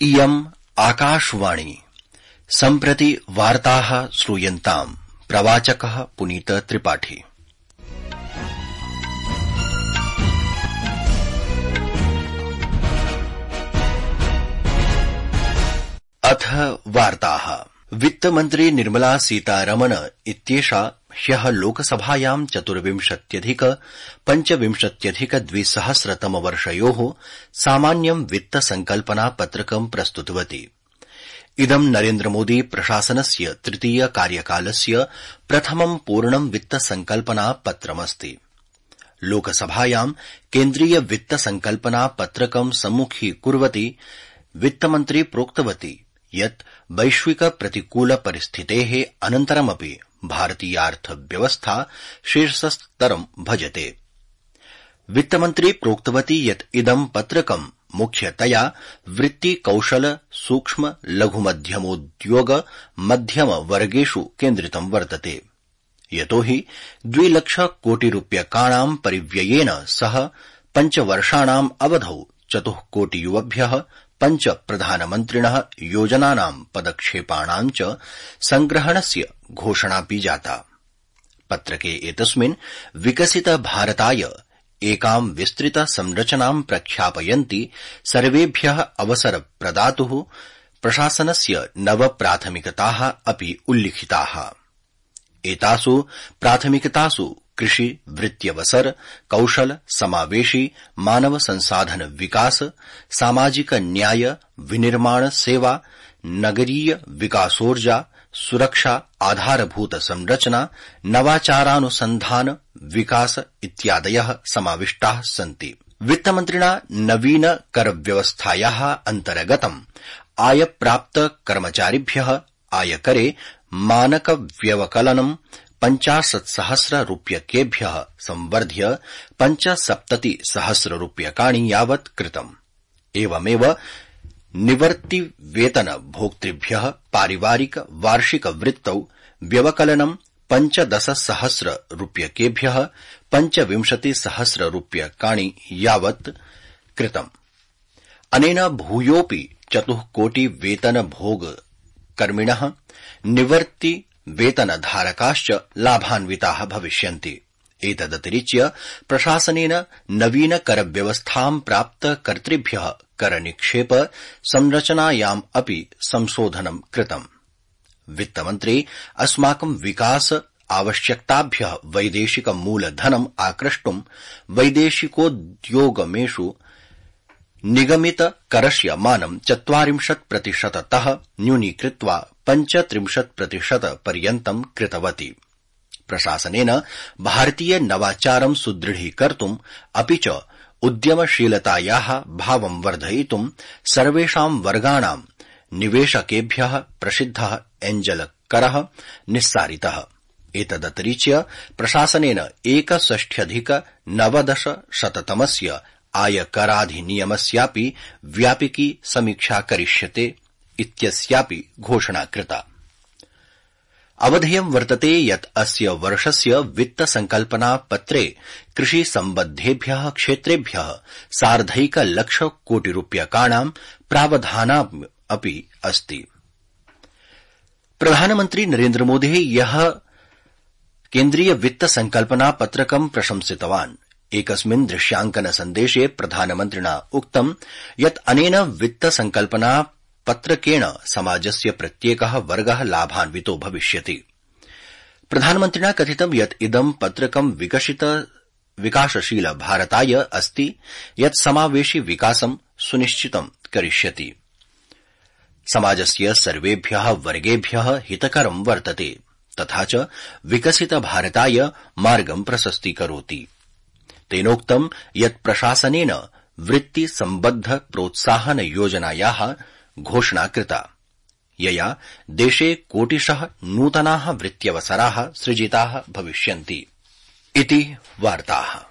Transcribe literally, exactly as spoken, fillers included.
इयम् आकाशवाणी सम्प्रति वार्ताः श्रूयन्ताम्। प्रवाचकः पुनीत त्रिपाठी। अथ वार्ताः। वित्तमन्त्री निर्मला सीतारमण इत्येषा ह्यः लोकसभायां चतुर्विंशत्यधिक पञ्चविंशत्यधिक द्विसहस्रतमवर्षयोः सामान्यं वित्तसंकल्पना पत्रकं प्रस्तुतवती। इदं नरेन्द्रमोदी प्रशासनस्य तृतीय कार्यकालस्य प्रथमं पूर्णं वित्तसंकल्पना पत्रमस्ति। लोकसभायां केन्द्रीय वित्तसंकल्पना पत्रकं सम्मुखीकुर्वती वित्तमन्त्री प्रोक्तवती यत् वैश्विक प्रतिकूल परिस्थितेः अनन्तरमपि भारतीयार्थव्यवस्था शीर्षस्तरं भजते। वित्तमन्त्री प्रोक्तवती यत् इदं पत्रकं मुख्यतया वृत्ति कौशल सूक्ष्म लघुमध्यमोद्योग मध्यमवर्गेषु केन्द्रितं वर्तते, यतोहि द्विलक्ष कोटिरूप्यकाणां परिव्ययेन सह पञ्चवर्षाणाम् अवधौ चतुःकोटियुवभ्यः पञ्च प्रधानमन्त्रिणः योजनानां पदक्षेपाणां च संग्रहणस्य घोषणापि जाता। पत्रके एतस्मिन् विकसित भारताय एकां विस्तृत संरचनां प्रख्यापयन्ति सर्वेभ्यः अवसर प्रदातुः प्रशासनस्य नव प्राथमिकताः अपि उल्लिखिताः। एतासु प्राथमिकतासु कृषि, वृत्त्यवसर, कौशल, समावेशी, मानव संसाधन विकास, सामाजिक न्याय, विनिर्माण सेवा, नगरीय विकासोर्जा, सुरक्षा, आधारभूत संरचना, नवाचारानुसंधान विकास इत्यादयः समाविष्टाः सन्ति। वित्तमन्त्रिणा नवीन करव्यवस्थायाः अन्तर्गतम् आयप्राप्त कर्मचारिभ्यः आयकरे मानक व्यवकलनं पञ्चाशत्सहस्र रूप्यकेभ्यः संवर्ध्य पञ्चसप्तति सहस्र रूप्यकाणि यावत् कृतम्। एवमेव निवर्तिवेतन भोक्तृभ्यः पारिवारिक वार्षिक वृत्तौ व्यवकलनं पञ्चदश सहस्र रूप्यकेभ्यः पञ्चविंशति सहस्र रूप्यकाणि यावत् कृतम्। अनेन भूयोऽपि चतुःकोटि वेतन भोग कर्मिणः निवर्ति वेतनधारकाश्च लाभान्विताः भविष्यन्ति। एतदतिरिच्य प्रशासनेन नवीन करव्यवस्थां प्राप्त कर्तृभ्यः करनिक्षेप संरचनायाम् अपि संशोधनं कृतम्। वित्तमन्त्री अस्माकं विकास आवश्यकताभ्यः वैदेशिक मूलधनम् आक्रष्टुं वैदेशिकोद्योगमेषु निगमित करस्य मानं चत्वारिंशत् प्रतिशततः न्यूनीकृत्वा पञ्चत्रिंशत् प्रतिशत पर्यन्तं कृतवती। प्रशासनेन भारतीय नवाचारं सुदृढीकर्तुम् अपि च उद्यमशीलतायाः भावं वर्धयितुं सर्वेषां वर्गाणां निवेशकेभ्यः प्रसिद्धः एञ्जल करः निस्सारितः। एतदतिरिच्य प्रशासनेन एकषष्ट्यधिक नवदश शततमस्य आयकराधिनियमस्यापि व्यापकी समीक्षा करिष्यते इत्यस्यापि घोषणा कृता। अवधेयं वर्तते यत् अस्य वर्षस्य वित्तसंकल्पना पत्रे कृषि सम्बद्धेभ्यः क्षेत्रेभ्यः सार्धैक लक्ष कोटि रूप्यकाणां प्रावधानम् अपि अस्ति। प्रधानमन्त्री नरेन्द्रमोदी ह्यः केन्द्रीय वित्तसंकल्पना पत्रकं प्रशंसितवान्। एकस्मिन् दृश्यांकन सन्देशे प्रधानमन्त्रिणा उक्तं यत् अनेन वित्तसंकल्पना पत्रकेण समाजस्य प्रत्येकः वर्गः लाभान्वितो भविष्यति। प्रधानमन्त्रिणा कथितं यत् इदं पत्रकं विकसित विकासशील भारताय अस्ति यत् समावेशि विकासं सुनिश्चितं करिष्यति। समाजस्य सर्वेभ्यः वर्गेभ्यः हितकरं वर्तते तथा च विकसित भारताय मार्गं प्रशस्तीकरोति। तेनोक्तं यत् प्रशासनेन वृत्ति सम्बद्ध प्रोत्साहन योजनायाः घोषणा कृता, यया देशे कोटिशः नूतनाः वृत्त्यवसराः सृजिताः भविष्यन्ति। इति वार्ताः।